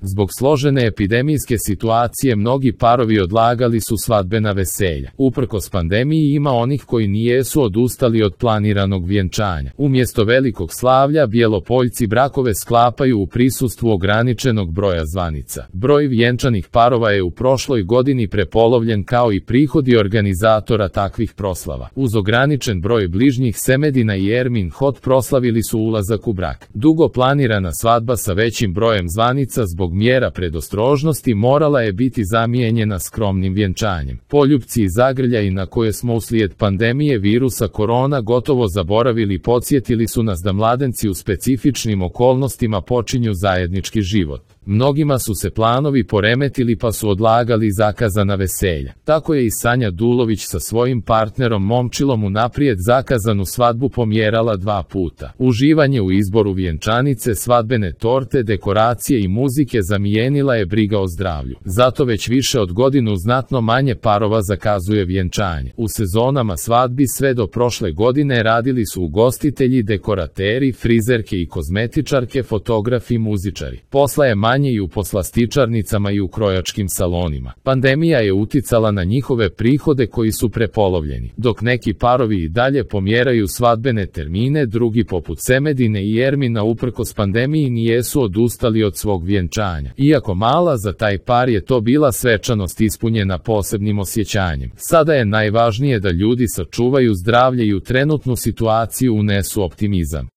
Zbog složene epidemijske situacije mnogi parovi odlagali su svadbena veselja. Uprkos pandemiji ima onih koji nijesu odustali od planiranog vjenčanja. Umjesto velikog slavlja, Bjelopoljci brakove sklapaju u prisustvu ograničenog broja zvanica. Broj vjenčanih parova je u prošloj godini prepolovljen kao i prihodi organizatora takvih proslava. Uz ograničen broj bližnjih, Semedina i Ermin Hot proslavili su ulazak u brak. Dugo planirana svadba sa većim brojem zvanica zbog mjera predostrožnosti morala je biti zamijenjena skromnim vjenčanjem. Poljupci i zagrljaji na koje smo uslijed pandemije virusa korona gotovo zaboravili podsjetili su nas da mladenci u specifičnim okolnostima počinju zajednički život. Mnogima su se planovi poremetili pa su odlagali zakazana veselja. Tako je i Sanja Dulović sa svojim partnerom Momčilom unaprijed zakazanu svadbu pomjerala 2 puta. Uživanje u izboru vjenčanice, svadbene torte, dekoracije i muzike zamijenila je briga o zdravlju. Zato već više od godinu znatno manje parova zakazuje vjenčanje. U sezonama svadbi sve do prošle godine radili su ugostitelji, dekorateri, frizerke i kozmetičarke, fotografi i muzičari. Posla je manje i u poslastičarnicama i u krojačkim salonima. Pandemija je uticala na njihove prihode koji su prepolovljeni. Dok neki parovi i dalje pomjeraju svadbene termine, drugi poput Semedine i Ermina uprkos pandemiji nijesu odustali od svog vjenčanja. Iako mala, za taj par je to bila svečanost ispunjena posebnim osjećanjem. Sada je najvažnije da ljudi sačuvaju zdravlje i u trenutnu situaciju unesu optimizam.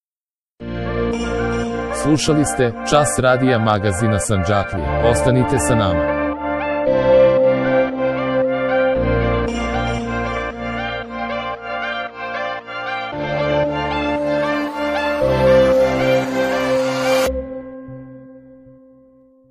Slušali ste Čas radija magazina Sandžaklija. Ostanite sa nama.